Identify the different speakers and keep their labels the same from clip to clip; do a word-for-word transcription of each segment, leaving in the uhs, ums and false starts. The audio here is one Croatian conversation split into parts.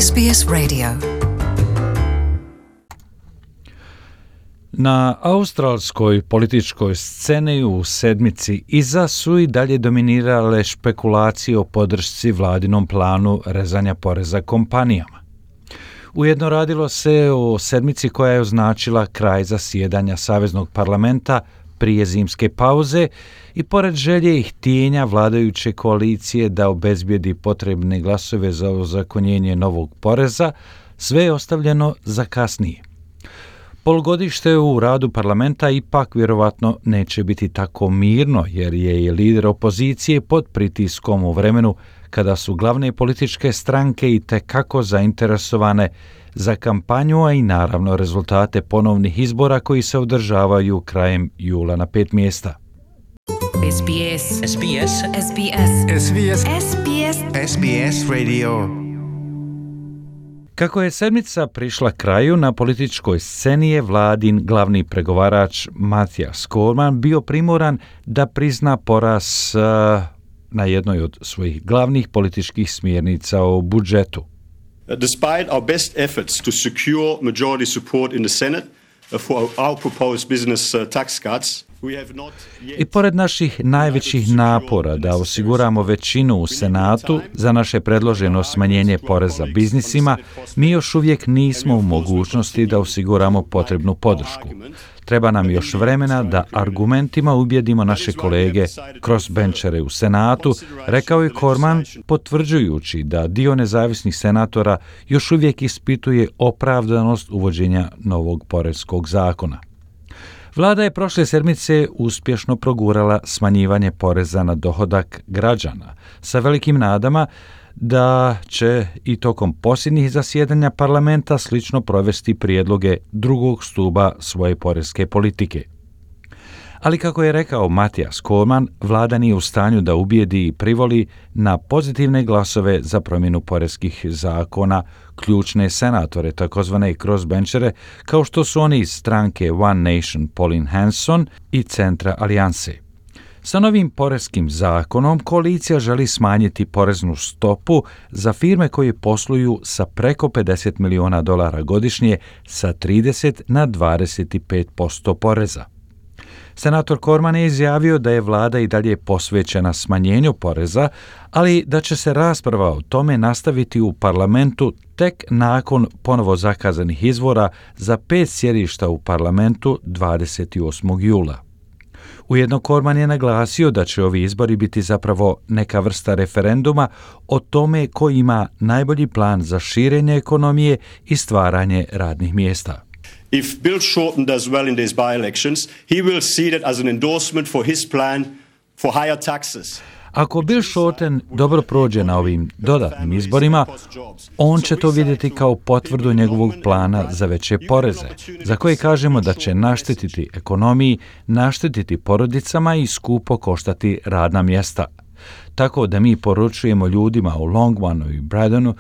Speaker 1: S B S Radio. Na australskoj političkoj sceni u sedmici iza su i dalje dominirale špekulacije o podršci vladinom planu rezanja poreza kompanijama. Ujedno radilo se o sedmici koja je označila kraj zasjedanja Saveznog parlamenta prije zimske pauze i pored želje i htjenja vladajuće koalicije da obezbijedi potrebne glasove za ozakonjenje novog poreza, sve je ostavljeno za kasnije. Polugodište u radu parlamenta ipak vjerovatno neće biti tako mirno, jer je i lider opozicije pod pritiskom u vremenu kada su glavne političke stranke i tekako zainteresovane za kampanju, a i naravno rezultate ponovnih izbora koji se održavaju krajem jula na pet mjesta.
Speaker 2: S B S S B S
Speaker 3: S B S
Speaker 2: S B S
Speaker 3: S B S
Speaker 2: S B S Radio.
Speaker 1: Kako je sedmica prišla kraju, na političkoj sceni je vladin glavni pregovarač Mathias Cormann bio primoran da prizna poraz uh, na jednoj od svojih glavnih političkih smjernica o budžetu.
Speaker 4: Despite our best efforts to secure majority support in the Senate for our proposed business tax cuts,
Speaker 1: I pored naših najvećih napora da osiguramo većinu u Senatu za naše predloženo smanjenje poreza biznisima, mi još uvijek nismo u mogućnosti da osiguramo potrebnu podršku. Treba nam još vremena da argumentima ubjedimo naše kolege crossbenčere u Senatu, rekao je Cormann, potvrđujući da dio nezavisnih senatora još uvijek ispituje opravdanost uvođenja novog porezkog zakona. Vlada je prošle sedmice uspješno progurala smanjivanje poreza na dohodak građana, sa velikim nadama da će i tokom posljednjih zasjedanja parlamenta slično provesti prijedloge drugog stuba svoje porezke politike. Ali kako je rekao Mathias Cormann, vlada nije u stanju da ubijedi i privoli na pozitivne glasove za promjenu porezkih zakona ključne senatore, takozvane crossbenčere, kao što su oni iz stranke One Nation Pauline Hanson i Centra Alijanse. Sa novim porezkim zakonom koalicija želi smanjiti poreznu stopu za firme koje posluju sa preko pedeset milijuna dolara godišnje sa trideset na dvadeset pet posto poreza. Senator Cormann je izjavio da je vlada i dalje posvećena smanjenju poreza, ali da će se rasprava o tome nastaviti u parlamentu tek nakon ponovo zakazanih izbora za pet sjedišta u parlamentu dvadeset osmog jula. Ujedno Cormann je naglasio da će ovi izbori biti zapravo neka vrsta referenduma o tome ko ima najbolji plan za širenje ekonomije i stvaranje radnih mjesta.
Speaker 4: If Bill Shorten does well in these by-elections, he will see that as an endorsement for his plan for higher taxes.
Speaker 1: Ako Bill Shorten dobro prođe na ovim dodatnim izborima, on će to vidjeti kao potvrdu njegovog plana za veće poreze, za koje kažemo da će naštetiti ekonomiji, naštetiti porodicama i skupo koštati radna mjesta. Tako da mi poručujemo ljudima u Longmanu i Bradonu,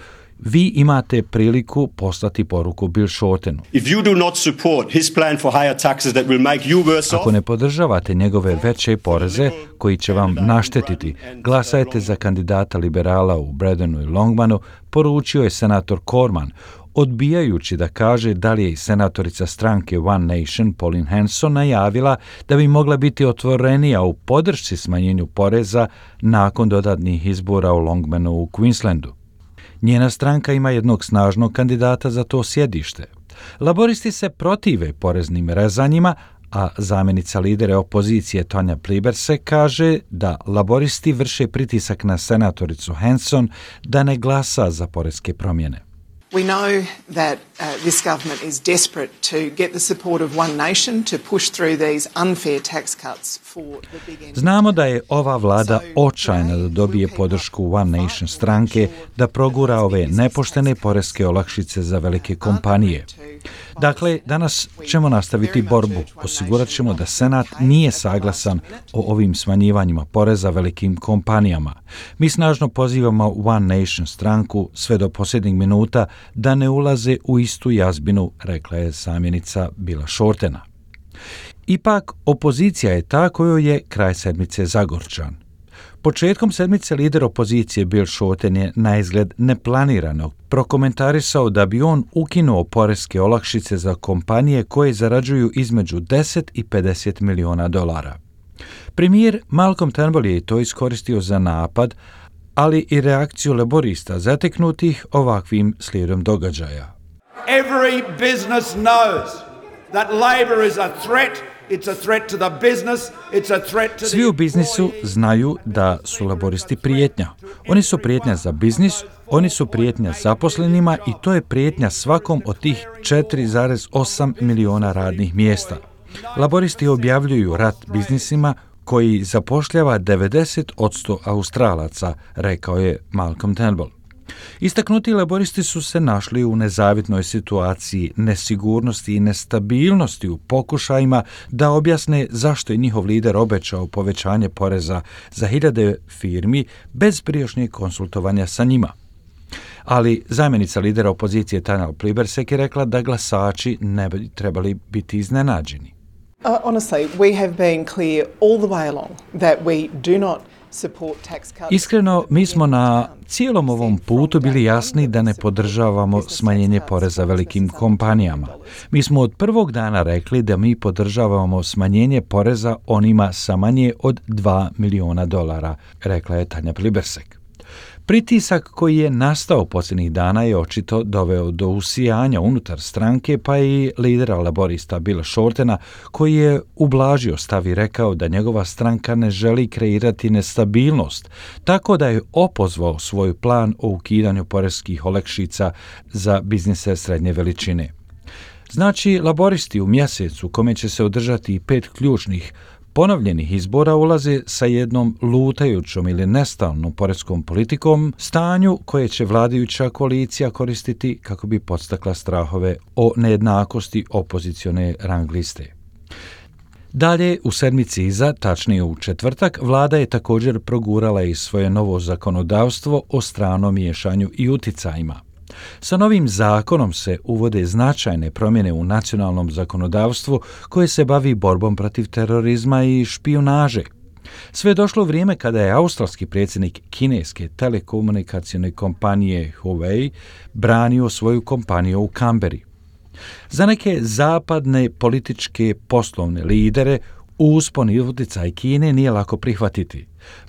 Speaker 1: vi imate priliku poslati poruku Bill Shortenu.
Speaker 4: If you do not support his plan for higher taxes that will make you worse off,
Speaker 1: Ako ne podržavate njegove veće poreze koji će vam naštetiti, glasajte za kandidata liberala u Bradonu i Longmanu, poručio je senator Cormann, odbijajući da kaže da li je i senatorica stranke One Nation Pauline Hanson najavila da bi mogla biti otvorenija u podršci smanjenju poreza nakon dodatnih izbora u Longmanu u Queenslandu. Njena stranka ima jednog snažnog kandidata za to sjedište. Laboristi se protive poreznim rezanjima, a zamjenica lidera opozicije Tonya Plibersek kaže da laboristi vrše pritisak na senatoricu Hanson da ne glasa za porezke promjene.
Speaker 5: We know that uh, this government is desperate to get the support of One Nation to push through these unfair tax cuts for the big entities.
Speaker 1: Znamo da je ova vlada očajna da dobije podršku One Nation stranke da progura ove nepoštene porezke olakšice za velike kompanije. Dakle, danas ćemo nastaviti borbu. Osigurat ćemo da Senat nije saglasan o ovim smanjivanjima poreza velikim kompanijama. Mi snažno pozivamo One Nation stranku sve do posljednjeg minuta da ne ulaze u istu jazbinu, rekla je zamjenica Billa Shortena. Ipak, opozicija je ta kojoj je kraj sedmice zagorčan. Početkom sedmice lider opozicije Bill Shorten je na izgled neplanirano prokomentarisao da bi on ukinuo poreske olakšice za kompanije koje zarađuju između deset i pedeset miliona dolara. Premijer Malcolm Turnbull je to iskoristio za napad, ali i reakciju laborista zateknutih ovakvim slijedom događaja.
Speaker 3: Every business knows that labor is a threat. It's a threat to the business, it's a threat to the...
Speaker 1: Svi u biznisu znaju da su laboristi prijetnja. Oni su prijetnja za biznis, oni su prijetnja zaposlenima i to je prijetnja svakom od tih četiri zarez osam miliona radnih mjesta. Laboristi objavljuju rat biznisima koji zapošljava devedeset posto Australaca, rekao je Malcolm Turnbull. Istaknuti laboristi su se našli u nezavidnoj situaciji nesigurnosti i nestabilnosti u pokušajima da objasne zašto je njihov lider obećao povećanje poreza za hiljade firmi bez prijašnjeg konsultovanja sa njima. Ali zamjenica lidera opozicije Tanja Plibersek je rekla da glasači ne bi trebali biti iznenađeni.
Speaker 5: Uh, honestly, we have been clear all the way along that we do not support tax cuts.
Speaker 1: Iskreno, mi smo na cijelom ovom putu bili jasni da ne podržavamo smanjenje poreza velikim kompanijama. Mi smo od prvog dana rekli da mi podržavamo smanjenje poreza onima sa manje od dva miliona dolara, rekla je Tanja Plibersek. Pritisak koji je nastao posljednjih dana je očito doveo do usijanja unutar stranke, pa i lidera laborista Billa Shortena, koji je ublažio stav i rekao da njegova stranka ne želi kreirati nestabilnost, tako da je opozvao svoj plan o ukidanju poreskih olakšica za biznise srednje veličine. Znači, laboristi u mjesecu kome će se održati pet ključnih ponovljenih izbora ulaze sa jednom lutajućom ili nestalnom poreskom politikom, stanju koje će vladajuća koalicija koristiti kako bi podstakla strahove o nejednakosti opozicione rang liste. Dalje, u sedmici iza, tačnije u četvrtak, vlada je također progurala i svoje novo zakonodavstvo o stranom miješanju i uticajima. Sa novim zakonom se uvode značajne promjene u nacionalnom zakonodavstvu koje se bavi borbom protiv terorizma i špijunaže. Sve je došlo vrijeme kada je australski predsjednik kineske telekomunikacijne kompanije Huawei branio svoju kompaniju u Kamberi. Za neke zapadne političke poslovne lidere uspon i utjecaj Kine nije lako prihvatiti.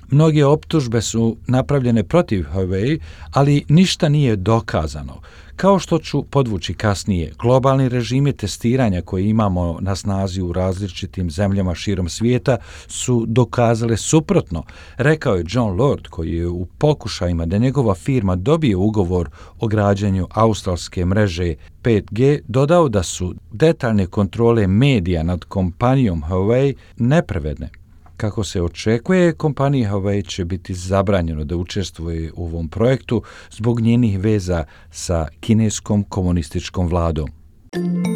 Speaker 1: Mnoge optužbe su napravljene protiv Huawei, ali ništa nije dokazano. Kao što ću podvući kasnije, globalni režimi testiranja koje imamo na snazi u različitim zemljama širom svijeta su dokazale suprotno, rekao je John Lord, koji je u pokušajima da njegova firma dobije ugovor o građenju australske mreže pet G dodao da su detaljne kontrole medija nad kompanijom Huawei nepravedne. Kako se očekuje, kompaniji Huawei će biti zabranjeno da učestvuje u ovom projektu zbog njenih veza sa kineskom komunističkom vladom.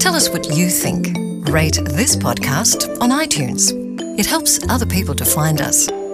Speaker 6: Tell us what you think. Rate this podcast on iTunes. It helps other people to find us.